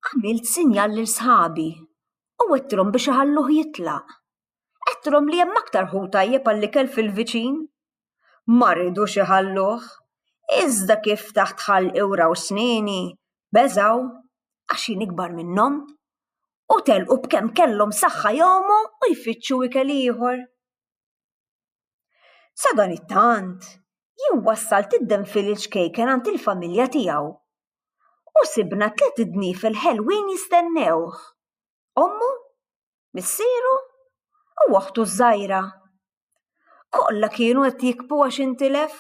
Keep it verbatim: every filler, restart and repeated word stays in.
Għamilt sinjal lil sħabi u għedtilhom biex iħalluh jitlaq. Għedtilhom li hemm aktar ħut tajjeb għall-ikel fil-viċin. Ma ridux iħalluh. Iżda kif ftaħt ħalqi u raw snieni, beżgħu għax jien ikbar minnhom. U telqu b'kemm kellhom saħħa jgħumu u jfittxu ikel ieħor. Sadanittant, jien wassalt id-denfil iċ-ċkejken għand il-familja tiegħu. U sibna tliet idniefel ħelwin jistennewh. Ommu, missieru u oħtu ż-żgħira. Kollha kienu qed jibku għax intilef.